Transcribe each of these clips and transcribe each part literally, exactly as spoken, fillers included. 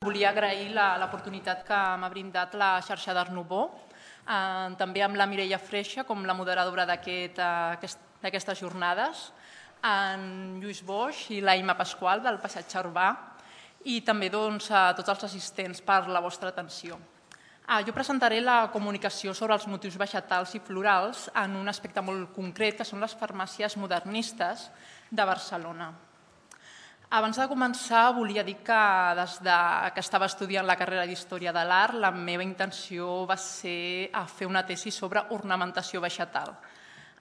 Volia agrair l'oportunitat que m'ha brindat la xarxa d'Art Nouveau, també amb la Mireia Freixa com la moderadora d'aquestes jornades, en Lluís Boix i la Imma Pasqual del Passatge Urbà i també a tots els assistents per la vostra atenció. Jo presentaré la comunicació sobre els motius vegetals i florals en un aspecte molt concret, que són les farmàcies modernistes de Barcelona. Abans de començar, volia dir que des que estava estudiant la carrera d'Història de l'Art, la meva intenció va ser fer una tesi sobre ornamentació vegetal.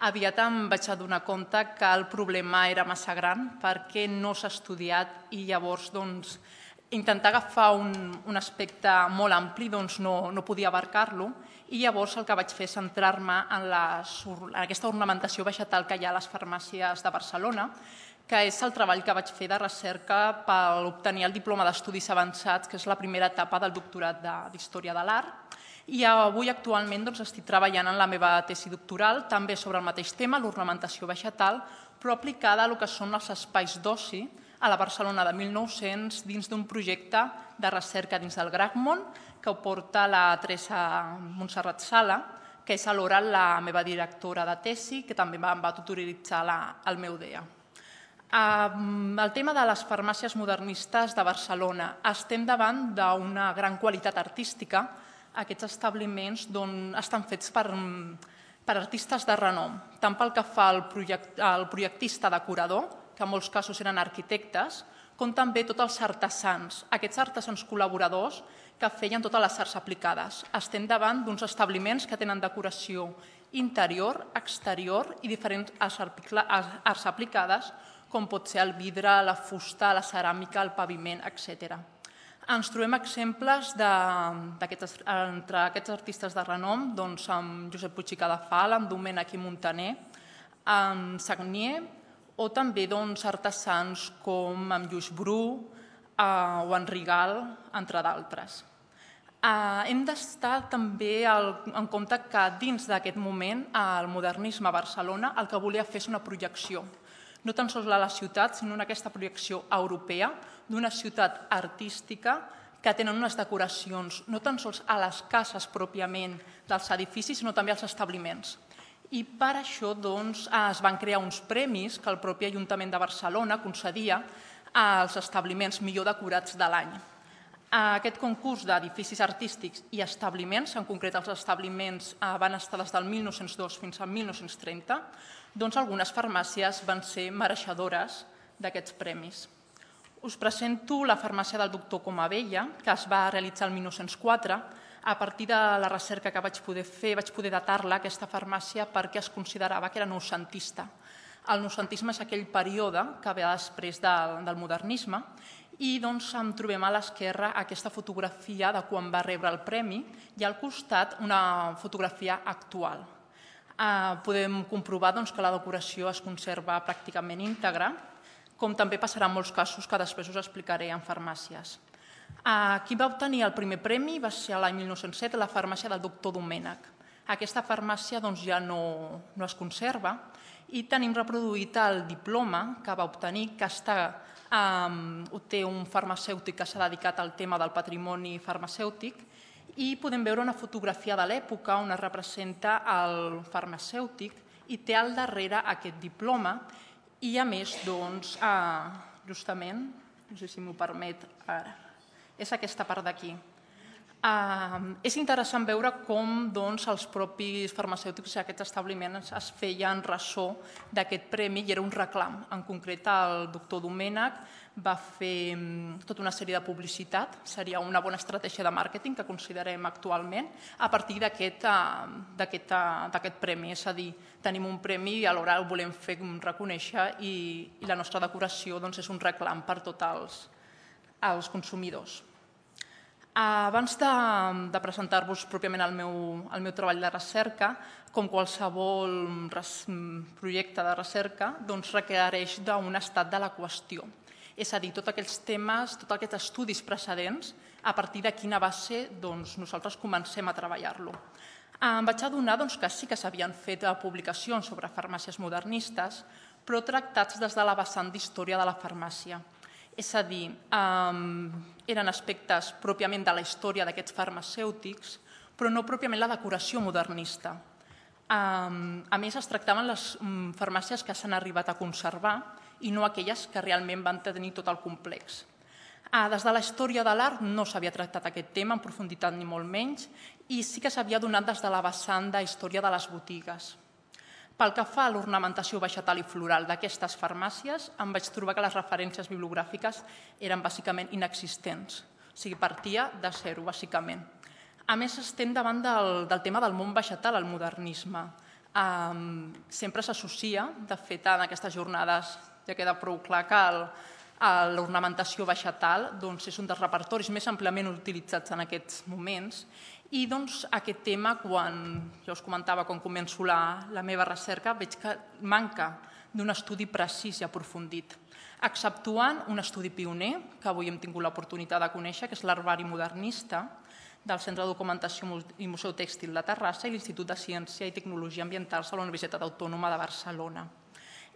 Aviat em vaig adonar compte que el problema era massa gran perquè no s'ha estudiat i llavors intentar agafar un aspecte molt ampli no podia abarcar-lo i llavors el que vaig fer és centrar-me en aquesta ornamentació vegetal que hi ha a les farmàcies de Barcelona, que és el treball que vaig fer de recerca per obtenir el diploma d'Estudis Avançats, que és la primera etapa del doctorat d'Història de l'Art. I avui actualment estic treballant en la meva tesi doctoral, també sobre el mateix tema, l'ornamentació vegetal, però aplicada al que són els espais d'oci a la Barcelona de mil nou-cents dins d'un projecte de recerca dins del Gracmon que ho porta la Teresa Montserrat Sala, que és alhora la meva directora de tesi, que també em va tutorialitzar el meu D E A. El tema de les farmàcies modernistes de Barcelona. Estem davant d'una gran qualitat artística. Aquests establiments estan fets per artistes de renom, tant pel que fa al projectista decorador, que en molts casos eren arquitectes, com també tots els artesans, aquests artesans col·laboradors que feien totes les arts aplicades. Estem davant d'uns establiments que tenen decoració interior, exterior i diferents arts aplicades, com pot ser el vidre, la fusta, la ceràmica, el paviment, etcètera. Ens trobem exemples entre aquests artistes de renom, amb Josep Puig i Cadafal, amb Domènech i Montaner, amb Sagnier, o també artesans com en Lluís Bru o en Rigal, entre d'altres. Hem d'estar també en compte que dins d'aquest moment el modernisme a Barcelona el que volia fer és una projecció, no tan sols a la ciutat, sinó en aquesta projecció europea d'una ciutat artística que tenen unes decoracions no tan sols a les cases pròpiament dels edificis, sinó també als establiments. I per això es van crear uns premis que el propi Ajuntament de Barcelona concedia als establiments millor decorats de l'any. Aquest concurs d'edificis artístics i establiments, en concret els establiments van estar des del mil nou-cents dos fins al mil nou-cents trenta, doncs algunes farmàcies van ser mereixedores d'aquests premis. Us presento la farmàcia del doctor Comabella, que es va realitzar el mil nou-cents quatre. A partir de la recerca que vaig poder fer, vaig poder datar-la, aquesta farmàcia, perquè es considerava que era noucentista. El noucentisme és aquell període que ve després del modernisme i en trobem a l'esquerra aquesta fotografia de quan va rebre el premi i al costat una fotografia actual. Podem comprovar que la decoració es conserva pràcticament íntegra, com també passarà en molts casos que després us explicaré en farmàcies. Qui va obtenir el primer premi va ser l'any mil nou-cents set, la farmàcia del doctor Domènech. Aquesta farmàcia ja no es conserva i tenim reproduït el diploma que va obtenir, que té un farmacèutic que s'ha dedicat al tema del patrimoni farmacèutic, i podem veure una fotografia de l'època on es representa el farmacèutic i té al darrere aquest diploma i a més, justament, no sé si m'ho permet ara, és aquesta part d'aquí. És interessant veure com els propis farmacèutics i aquests establiments es feien ressò d'aquest premi i era un reclam. En concret, el doctor Domènech va fer tota una sèrie de publicitat, seria una bona estratègia de màrqueting que considerem actualment, a partir d'aquest premi. És a dir, tenim un premi i alhora el volem fer reconèixer i la nostra decoració és un reclam per tots els consumidors. Abans de presentar-vos pròpiament el meu treball de recerca, com qualsevol projecte de recerca, requereix d'un estat de la qüestió. És a dir, tots aquests temes, tots aquests estudis precedents, a partir de quina base nosaltres comencem a treballar-lo. Em vaig adonar que sí que s'havien fet publicacions sobre farmàcies modernistes, però tractats des de la vessant d'història de la farmàcia. És a dir, eren aspectes pròpiament de la història d'aquests farmacèutics, però no pròpiament la decoració modernista. A més, es tractaven les farmàcies que s'han arribat a conservar i no aquelles que realment van tenir tot el complex. Des de la història de l'art no s'havia tractat aquest tema en profunditat ni molt menys i sí que s'havia donat des de la vessant de història de les botigues. Pel que fa a l'ornamentació vegetal i floral d'aquestes farmàcies, em vaig trobar que les referències bibliogràfiques eren bàsicament inexistents, o sigui, partia de zero, bàsicament. A més, estem davant del tema del món vegetal al modernisme. Sempre s'associa, de fet, en aquestes jornades ja queda prou clar que l'ornamentació vegetal és un dels repertoris més àmpliament utilitzats en aquests moments i aquest tema, quan ja us comentava, quan començo la meva recerca, veig que manca d'un estudi precís i aprofundit, exceptuant un estudi pioner que avui hem tingut l'oportunitat de conèixer, que és l'Herbari Modernista del Centre de Documentació i Museu Tèxtil de Terrassa i l'Institut de Ciència i Tecnologia Ambientals de la Universitat Autònoma de Barcelona.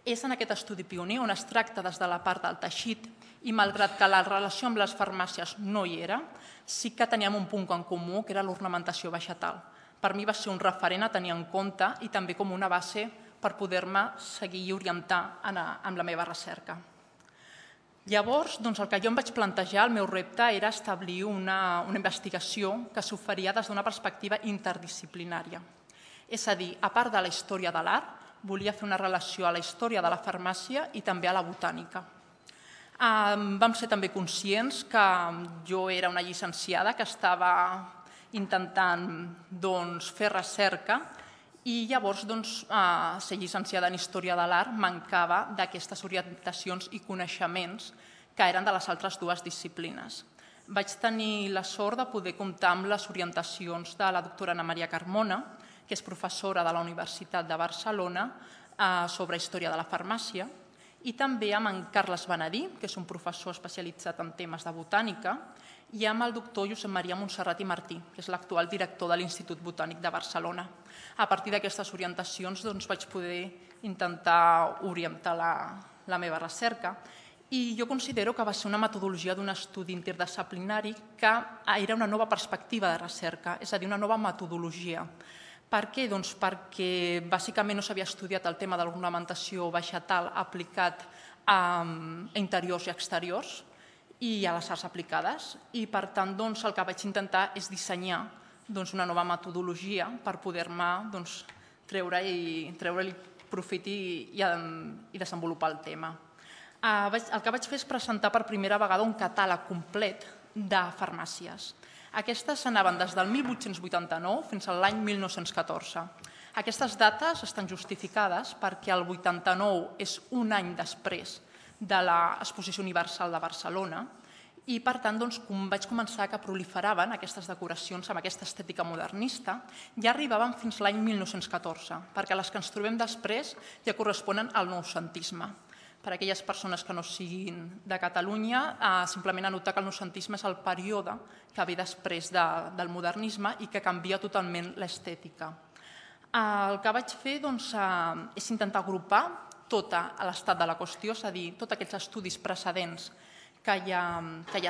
És en aquest estudi pioner on es tracta des de la part del teixit i, malgrat que la relació amb les farmàcies no hi era, sí que teníem un punt en comú, que era l'ornamentació vegetal. Per mi va ser un referent a tenir en compte i també com una base per poder-me seguir i orientar en la meva recerca. Llavors, el que jo em vaig plantejar, el meu repte, era establir una investigació que s'oferia des d'una perspectiva interdisciplinària. És a dir, a part de la història de l'art, volia fer una relació a la història de la farmàcia i també a la botànica. Vam ser també conscients que jo era una llicenciada que estava intentant fer recerca i llavors ser llicenciada en Història de l'Art mancava d'aquestes orientacions i coneixements que eren de les altres dues disciplines. Vaig tenir la sort de poder comptar amb les orientacions de la doctora Ana Maria Carmona, que és professora de la Universitat de Barcelona sobre història de la farmàcia, i també amb en Carles Benedí, que és un professor especialitzat en temes de botànica, i amb el doctor Josep Maria Montserrat i Martí, que és l'actual director de l'Institut Botànic de Barcelona. A partir d'aquestes orientacions vaig poder intentar orientar la meva recerca i jo considero que va ser una metodologia d'un estudi interdisciplinari que era una nova perspectiva de recerca, és a dir, una nova metodologia. Per què? Doncs perquè bàsicament no s'havia estudiat el tema de l'ornamentació vegetal aplicat a interiors i exteriors i a les arts aplicades i per tant el que vaig intentar és dissenyar una nova metodologia per poder-me treure-li profit i desenvolupar el tema. El que vaig fer és presentar per primera vegada un catàleg complet de farmàcies. Aquestes anaven des del mil vuit-cents vuitanta-nou fins a l'any mil nou-cents catorze. Aquestes dates estan justificades perquè el vuitanta-nou és un any després de l'Exposició Universal de Barcelona i, per tant, vaig començar que proliferaven aquestes decoracions amb aquesta estètica modernista i arribaven fins l'any mil nou-cents catorze, perquè les que ens trobem després ja corresponen al noucentisme. Per a aquelles persones que no siguin de Catalunya, simplement anotar que el noucentisme és el període que ve després del modernisme i que canvia totalment l'estètica. El que vaig fer és intentar agrupar tot l'estat de la qüestió, és a dir, tots aquests estudis precedents que ja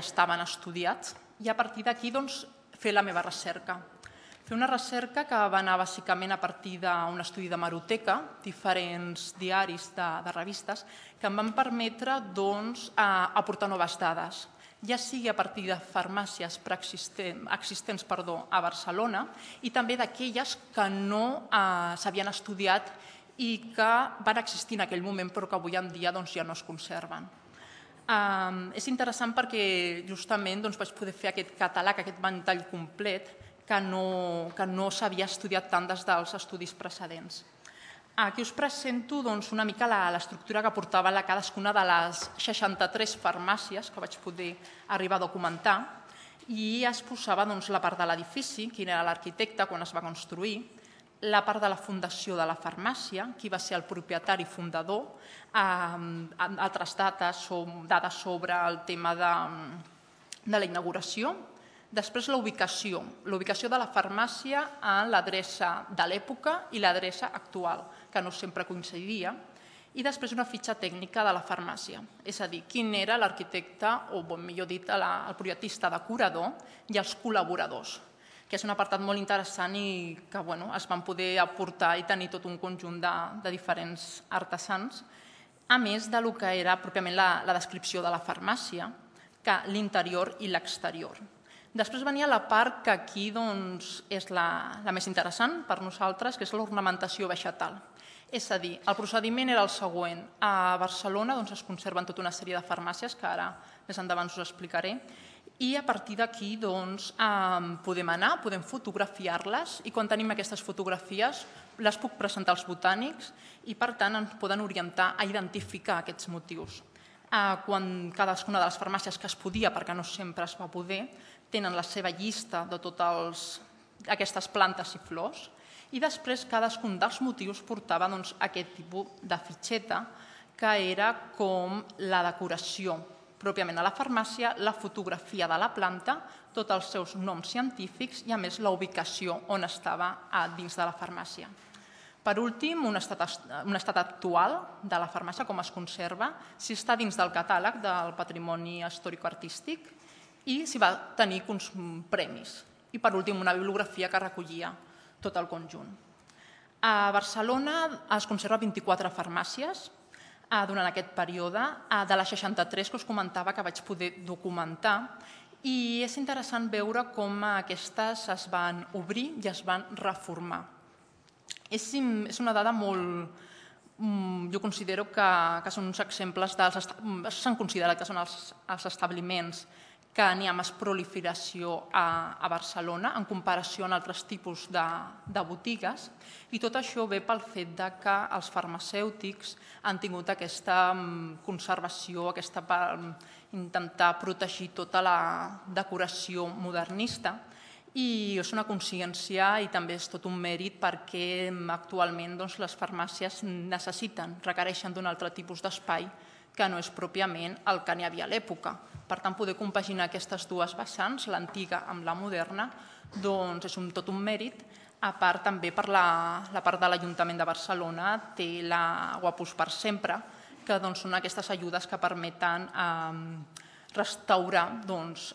estaven estudiats i a partir d'aquí fer la meva recerca. Fer una recerca que va anar bàsicament a partir d'un estudi d'hemeroteca, diferents diaris de revistes, que em van permetre aportar noves dades, ja sigui a partir de farmàcies existents a Barcelona i també d'aquelles que no s'havien estudiat i que van existir en aquell moment però que avui en dia ja no es conserven. És interessant perquè justament vaig poder fer aquest catàleg, aquest ventall complet, que no s'havia estudiat tant des dels estudis precedents. Aquí us presento una mica l'estructura que portava cadascuna de les seixanta-tres farmàcies que vaig poder arribar a documentar i es posava la part de l'edifici, quin era l'arquitecte quan es va construir, la part de la fundació de la farmàcia, qui va ser el propietari fundador, altres dates sobre el tema de la inauguració. Després la ubicació, la ubicació de la farmàcia en l'adreça de l'època i l'adreça actual, que no sempre coincidia, i després una fitxa tècnica de la farmàcia, és a dir, quin era l'arquitecte, o millor dit, el projectista decorador i els col·laboradors, que és un apartat molt interessant i que es van poder aportar i tenir tot un conjunt de diferents artesans, a més del que era pròpiament la descripció de la farmàcia, que l'interior i l'exterior. Després venia la part que aquí és la més interessant per nosaltres, que és l'ornamentació vegetal. És a dir, el procediment era el següent. A Barcelona es conserven tota una sèrie de farmàcies, que ara més endavant us explicaré, i a partir d'aquí podem anar, podem fotografiar-les, i quan tenim aquestes fotografies les puc presentar als botànics i per tant ens poden orientar a identificar aquests motius. Quan cadascuna de les farmàcies que es podia, perquè no sempre es va poder, tenen la seva llista de totes aquestes plantes i flors i després cadascun dels motius portava aquest tipus de fitxeta que era com la decoració pròpiament a la farmàcia, la fotografia de la planta, tots els seus noms científics i a més la ubicació on estava dins de la farmàcia. Per últim, un estat actual de la farmàcia, com es conserva, si està dins del catàleg del patrimoni històric-artístic i si va tenir premis. I per últim, una bibliografia que recollia tot el conjunt. A Barcelona es conserva vint-i-quatre farmàcies durant aquest període, de les seixanta-tres que us comentava que vaig poder documentar, i és interessant veure com aquestes es van obrir i es van reformar. És una dada molt... Jo considero que són uns exemples dels... S'han considerat que són els establiments que n'hi ha més proliferació a Barcelona en comparació amb altres tipus de botigues, i tot això ve pel fet que els farmacèutics han tingut aquesta conservació, aquesta intentar protegir tota la decoració modernista, i és una consciència i també és tot un mèrit perquè actualment les farmàcies necessiten, requereixen d'un altre tipus d'espai que no és pròpiament el que n'hi havia a l'època. Per tant, poder compaginar aquestes dues vessants, l'antiga amb la moderna, és tot un mèrit. A part, també per la part de l'Ajuntament de Barcelona té la Guapús per Sempre, que són aquestes ajudes que permeten restaurar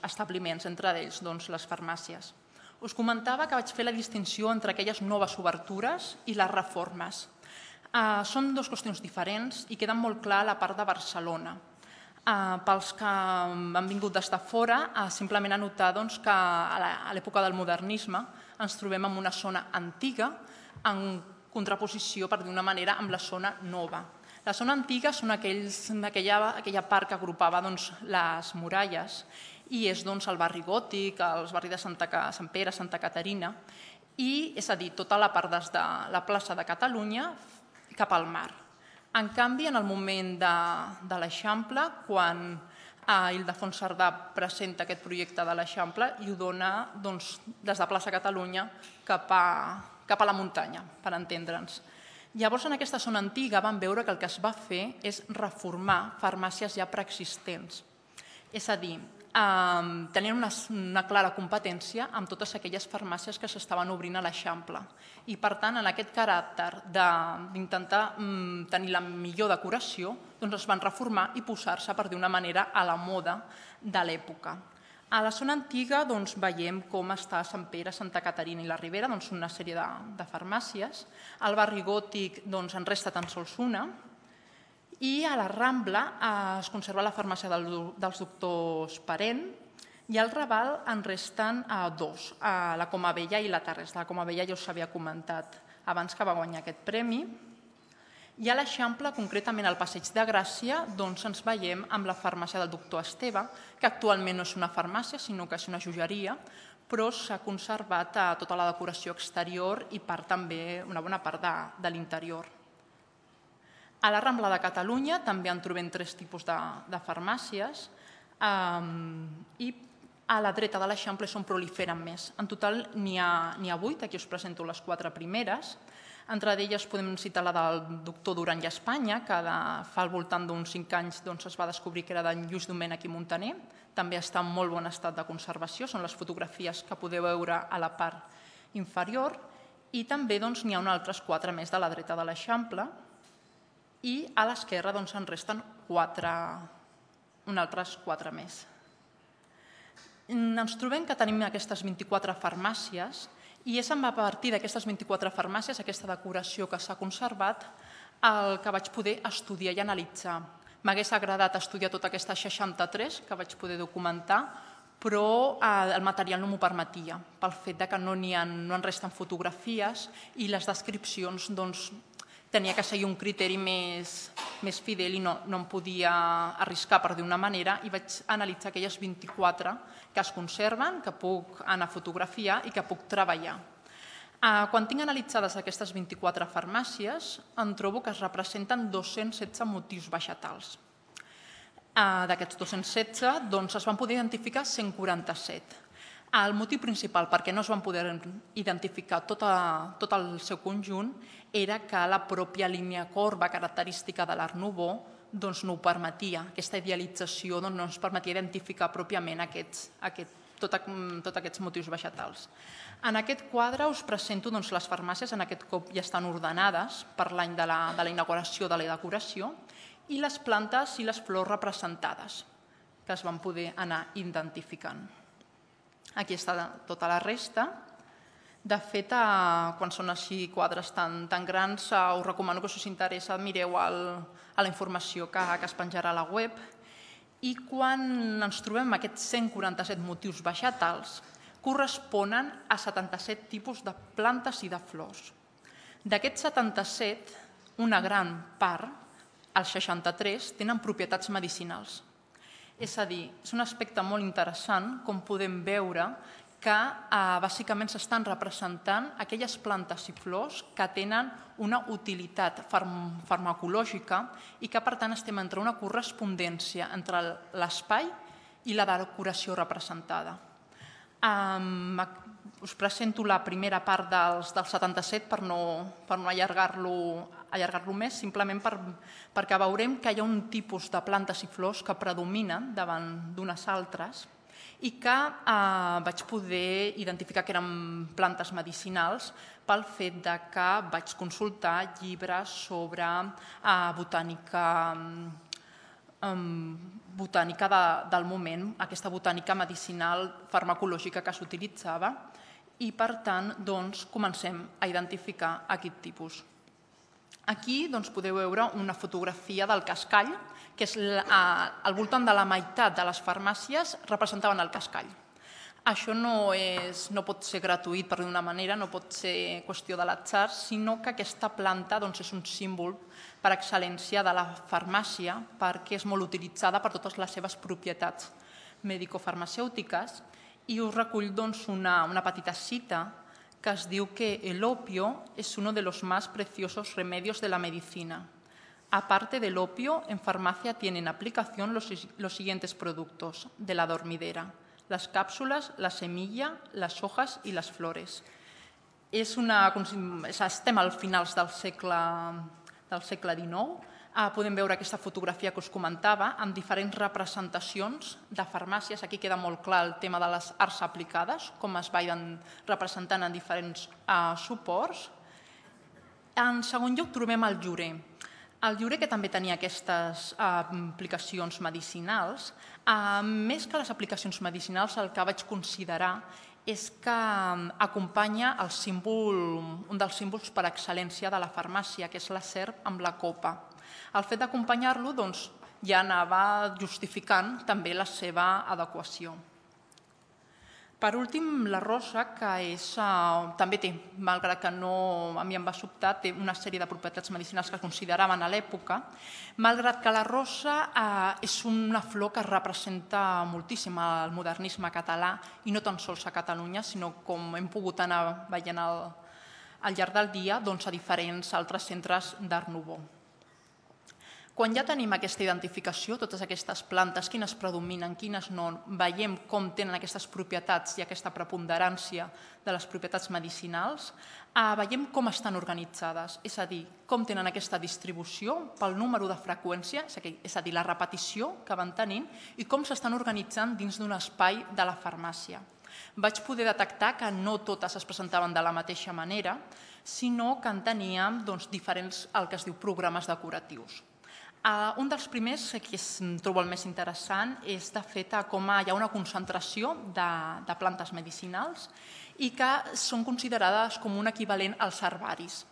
establiments, entre ells les farmàcies. Us comentava que vaig fer la distinció entre aquelles noves obertures i les reformes. Són dues qüestions diferents i queden molt clar a la part de Barcelona. Pels que han vingut des de fora, simplement anotar que a l'època del modernisme ens trobem en una zona antiga en contraposició, per dir d'una manera, amb la zona nova. La zona antiga és aquella part que agrupava les muralles i és el barri gòtic, els barris de Sant Pere, Santa Caterina, i és a dir, tota la part des de la plaça de Catalunya cap al mar. En canvi, en el moment de l'Eixample, quan Ildefons Cerdà presenta aquest projecte de l'Eixample i ho dona des de plaça Catalunya cap a la muntanya, per entendre'ns. Llavors, en aquesta zona antiga vam veure que el que es va fer és reformar farmàcies ja preexistents. És a dir, tenien una clara competència amb totes aquelles farmàcies que s'estaven obrint a l'Eixample. I, per tant, en aquest caràcter d'intentar tenir la millor decoració, es van reformar i posar-se, per dir d'una manera, a la moda de l'època. A la zona antiga veiem com està Sant Pere, Santa Caterina i la Ribera, una sèrie de farmàcies. Al barri gòtic en resta tan sols una. I a la Rambla es conserva la farmàcia dels doctors Parent i al Raval en resten dos, la Comabella i la Tarrés. La Comabella ja us havia comentat abans que va guanyar aquest premi. I a l'Eixample, concretament al Passeig de Gràcia, ens veiem amb la farmàcia del doctor Esteve, que actualment no és una farmàcia, sinó que és una joieria, però s'ha conservat tota la decoració exterior i també una bona part de l'interior. A la Rambla de Catalunya també en trobem tres tipus de farmàcies i a la dreta de l'Eixample són proliferen més. En total n'hi ha vuit, aquí us presento les quatre primeres. Entre elles podem citar la del doctor Duran i Espanya, que fa al voltant d'uns cinc anys es va descobrir que era d'en Lluís Domènech i Muntaner. També està en molt bon estat de conservació, són les fotografies que podeu veure a la part inferior. I també n'hi ha uns altres quatre més de la dreta de l'Eixample. i a l'esquerra en resten un altres quatre més. Ens trobem que tenim aquestes vint-i-quatre farmàcies i és a partir d'aquestes vint-i-quatre farmàcies, aquesta decoració que s'ha conservat, el que vaig poder estudiar i analitzar. M'hagués agradat estudiar tota aquesta seixanta-tres que vaig poder documentar, però el material no m'ho permetia, pel fet que no en resten fotografies i les descripcions tenia que seguir un criteri més fidel i no em podia arriscar, per dir una manera, i vaig analitzar aquelles vint-i-quatre que es conserven, que puc anar a fotografiar i que puc treballar. Quan tinc analitzades aquestes vint-i-quatre farmàcies, em trobo que es representen dos-cents setze motius vegetals. D'aquests dos-cents setze es van poder identificar cent quaranta-set. El motiu principal perquè no es van poder identificar tot el seu conjunt era que la pròpia línia corba característica de l'Art Nouveau no ho permetia. Aquesta idealització no ens permetia identificar pròpiament tots aquests motius vegetals. En aquest quadre us presento les farmàcies, en aquest cop ja estan ordenades per l'any de la inauguració de la decoració, i les plantes i les flors representades, que es van poder anar identificant. Aquí està tota la resta. De fet, quan són així quadres tan grans, us recomano que si us interessa mireu la informació que es penjarà a la web. I quan ens trobem aquests cent quaranta-set motius vegetals, corresponen a setanta-set tipus de plantes i de flors. D'aquests setanta-set, una gran part, els seixanta-tres, tenen propietats medicinals. És a dir, és un aspecte molt interessant com podem veure que bàsicament s'estan representant aquelles plantes i flors que tenen una utilitat farmacològica i que per tant estem entre una correspondència entre l'espai i la decoració representada. Us presento la primera part dels setanta-set per no allargar-lo més, simplement perquè veurem que hi ha un tipus de plantes i flors que predominen davant d'unes altres i que vaig poder identificar que eren plantes medicinals pel fet que vaig consultar llibres sobre botànica botànica del moment, aquesta botànica medicinal farmacològica que s'utilitzava i, per tant, comencem a identificar aquest tipus. Aquí podeu veure una fotografia del cascall, que és al voltant de la meitat de les farmàcies representaven el cascall. Això no pot ser gratuït, per dir-ho d'una manera, no pot ser qüestió de l'atzar, sinó que aquesta planta és un símbol per excel·lència de la farmàcia perquè és molt utilitzada per totes les seves propietats medicofarmacèutiques i us recull una petita cita que es diu que el opio es uno de los más preciosos remedios de la medicina. Aparte del opio, en farmacia tienen aplicación los siguientes productos de la dormidera: las cápsulas, la semilla, las hojas y las flores. Estem al finals del segle dinou. Podem veure aquesta fotografia que us comentava amb diferents representacions de farmàcies. Aquí queda molt clar el tema de les arts aplicades, com es van representant en diferents suports. En segon lloc trobem el llorer. El llorer, que també tenia aquestes aplicacions medicinals, més que les aplicacions medicinals, el que vaig considerar és que acompanya un dels símbols per excel·lència de la farmàcia, que és la serp amb la copa. El fet d'acompanyar-lo ja anava justificant també la seva adequació. Per últim, la rosa, que també té, malgrat que a mi em va sobtar, té una sèrie de propietats medicinals que es consideraven a l'època, malgrat que la rosa és una flor que representa moltíssim el modernisme català, i no tan sols a Catalunya, sinó com hem pogut anar veient al llarg del dia a diferents altres centres d'Art Nouveau. Quan ja tenim aquesta identificació, totes aquestes plantes, quines predominen, quines no, veiem com tenen aquestes propietats i aquesta preponderància de les propietats medicinals, veiem com estan organitzades, és a dir, com tenen aquesta distribució pel número de freqüència, és a dir, la repetició que van tenint, i com s'estan organitzant dins d'un espai de la farmàcia. vaig poder detectar que no totes es presentaven de la mateixa manera, sinó que en teníem diferents, el que es diu, programes decoratius. Un dels primers, que trobo el més interessant, és de fet com hi ha una concentració de plantes medicinals i que són considerades com un equivalent als herbaris.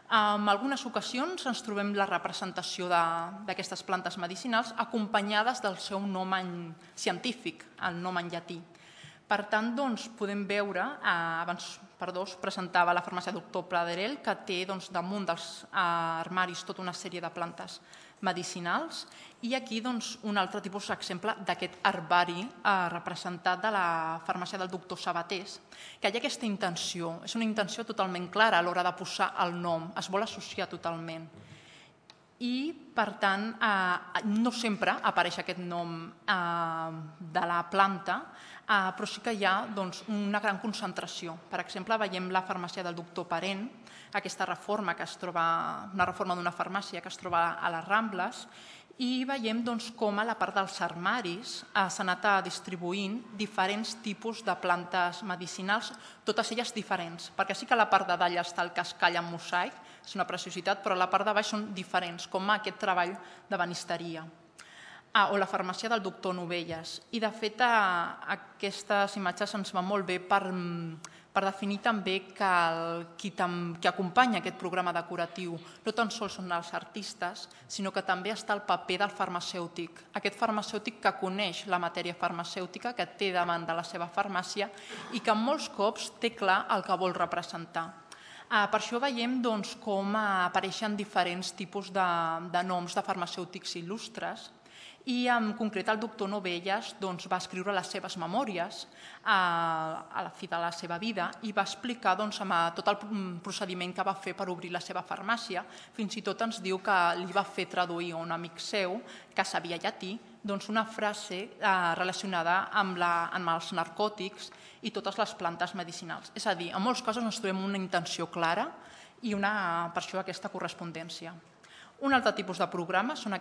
En algunes ocasions ens trobem la representació d'aquestes plantes medicinals acompanyades del seu nom científic, el nom en llatí. Per tant, podem veure, abans us presentava la farmàcia doctor Praderel, que té damunt dels armaris tota una sèrie de plantes medicinals, i aquí un altre tipus d'exemple d'aquest herbari representat de la farmàcia del doctor Sabatés, que hi ha aquesta intenció, és una intenció totalment clara a l'hora de posar el nom, es vol associar totalment. I, per tant, no sempre apareix aquest nom de la planta, però sí que hi ha una gran concentració. Per exemple, veiem la farmàcia del doctor Parent, aquesta reforma que es troba, una reforma d'una farmàcia que es troba a les Rambles, i veiem com a la part dels armaris s'ha anat distribuint diferents tipus de plantes medicinals, totes elles diferents, perquè sí que a la part de dalt està el cascall en mosaic, és una preciositat, però a la part de baix són diferents, com aquest treball de banisteria. O la farmàcia del doctor Novelles. I, de fet, aquestes imatges ens van molt bé per definir també que qui acompanya aquest programa decoratiu no tan sols són els artistes, sinó que també està el paper del farmacèutic. Aquest farmacèutic que coneix la matèria farmacèutica, que té davant de la seva farmàcia i que molts cops té clar el que vol representar. Per això veiem com apareixen diferents tipus de noms de farmacèutics il·lustres, i en concret el doctor Novelles va escriure les seves memòries a la fi de la seva vida i va explicar tot el procediment que va fer per obrir la seva farmàcia. Fins i tot ens diu que li va fer traduir a un amic seu, que sabia llatí, una frase relacionada amb els narcòtics i totes les plantes medicinals. És a dir, en molts casos ens trobem una intenció clara i per això aquesta correspondència. Un altre tipus de programes són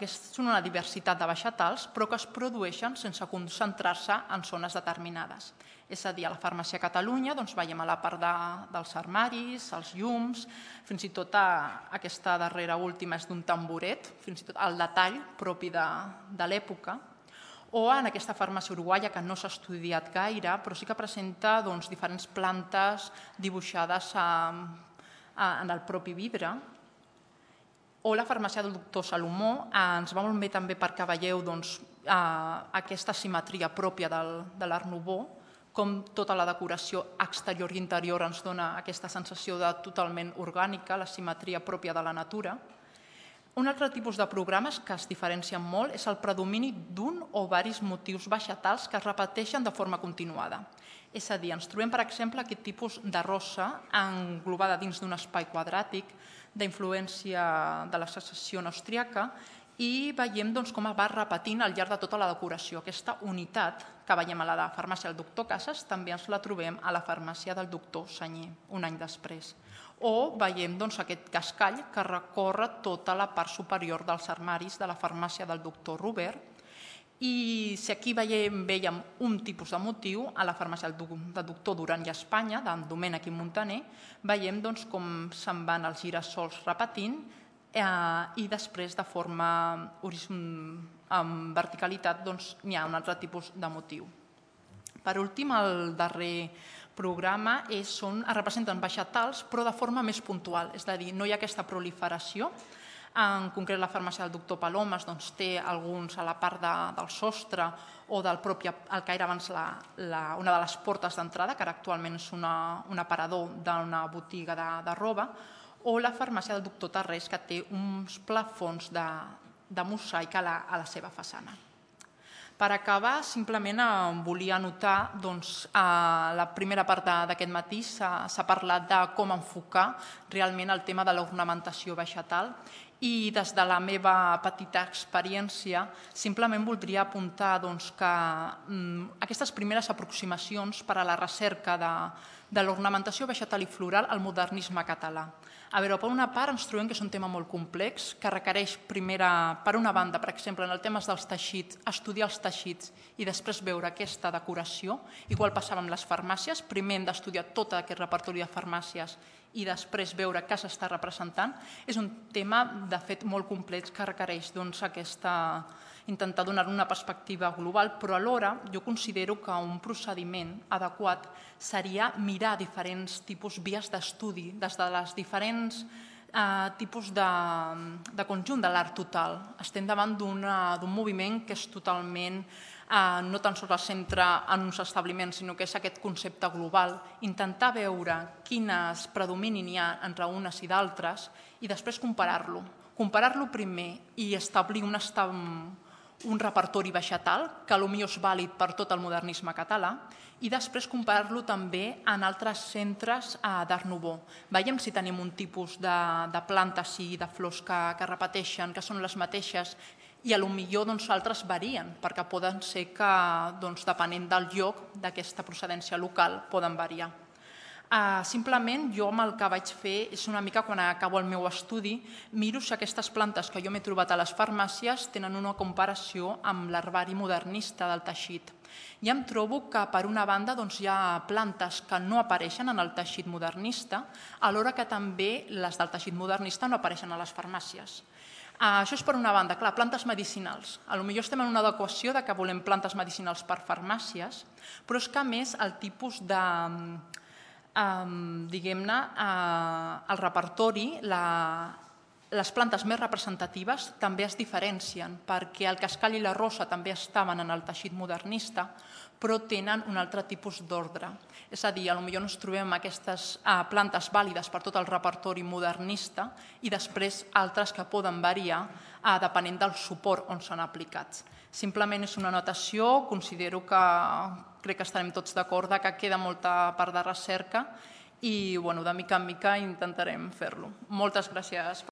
una diversitat de vegetals, però que es produeixen sense concentrar-se en zones determinades. És a dir, a la Farmàcia Catalunya veiem a la part dels armaris, els llums, fins i tot aquesta darrera última és d'un tamboret, fins i tot el detall propi de l'època, o en aquesta farmàcia uruguaia, que no s'ha estudiat gaire, però sí que presenta diferents plantes dibuixades en el propi vidre. O la farmàcia del doctor Salomó, ens va molt bé també perquè veieu aquesta simetria pròpia de l'Art Nouveau, com tota la decoració exterior i interior ens dona aquesta sensació de totalment orgànica, la simetria pròpia de la natura. Un altre tipus de programes que es diferencien molt és el predomini d'un o diversos motius vegetals que es repeteixen de forma continuada. És a dir, ens trobem, per exemple, aquest tipus de rosa englobada dins d'un espai quadràtic d'influència de la secessió austríaca i veiem com es va repetint al llarg de tota la decoració. Aquesta unitat que veiem a la farmàcia del doctor Casas també ens la trobem a la farmàcia del doctor Sanyer, un any després. O veiem aquest cascall que recorre tota la part superior dels armaris de la farmàcia del doctor Robert. I si aquí veiem un tipus de motiu, a la farmàcia del doctor Duran i Espanya, d'en Domènech i Montaner, veiem com se'n van els girassols repetint i després de forma amb verticalitat n'hi ha un altre tipus de motiu. Per últim, el darrer programa representen vegetals però de forma més puntual, és a dir, no hi ha aquesta proliferació. En concret, la farmàcia del doctor Palomes té alguns a la part del sostre o del propi, el que era abans una de les portes d'entrada, que ara actualment és un aparador d'una botiga de roba, o la farmàcia del doctor Tarrés, que té uns plafons de mosaic a la seva façana. Per acabar, simplement volia anotar que a la primera part d'aquest matí s'ha parlat de com enfocar realment el tema de l'ornamentació vegetal I des de la meva petita experiència simplement voldria apuntar que aquestes primeres aproximacions per a la recerca de l'ornamentació vegetal i floral al modernisme català. A veure, per una part ens trobem que és un tema molt complex, que requereix primera, per una banda, per exemple, en el tema dels teixits, estudiar els teixits i després veure aquesta decoració. Igual passava amb les farmàcies, primer hem d'estudiar tot aquest repertori de farmàcies i després veure què s'està representant. És un tema, de fet, molt complex que requereix aquesta, intentar donar una perspectiva global, però alhora jo considero que un procediment adequat seria mirar diferents tipus vies d'estudi, des de les diferents tipus de conjunt de l'art total. Estem davant d'un moviment que és totalment no tan sols es centra en uns establiments, sinó que és aquest concepte global, intentar veure quines predominin hi ha entre unes i d'altres i després comparar-lo. Comparar-lo primer i establir un repertori vegetal que potser és vàlid per tot el modernisme català i després comparar-lo també en altres centres d'Art Nouveau. Veiem si tenim un tipus de plantes i de flors que repeteixen, que són les mateixes, i potser altres varien, perquè poden ser que, depenent del lloc d'aquesta procedència local, poden variar. Simplement, jo el que vaig fer és una mica, quan acabo el meu estudi, miro si aquestes plantes que jo m'he trobat a les farmàcies tenen una comparació amb l'herbari modernista del teixit. I em trobo que, per una banda, hi ha plantes que no apareixen en el teixit modernista, alhora que també les del teixit modernista no apareixen a les farmàcies. Això és per una banda, clar, plantes medicinals. Potser estem en una adequació que volem plantes medicinals per farmàcies, però és que, a més, el tipus de, diguem-ne, el repertori, les plantes més representatives també es diferencien, perquè el cascall i la rosa també estaven en el teixit modernista, però tenen un altre tipus d'ordre. És a dir, potser ens trobem aquestes plantes vàlides per tot el repertori modernista i després altres que poden variar depenent del suport on s'han aplicat. Simplement és una anotació, considero que crec que estarem tots d'acord que queda molta part de recerca i de mica en mica intentarem fer-lo. Moltes gràcies.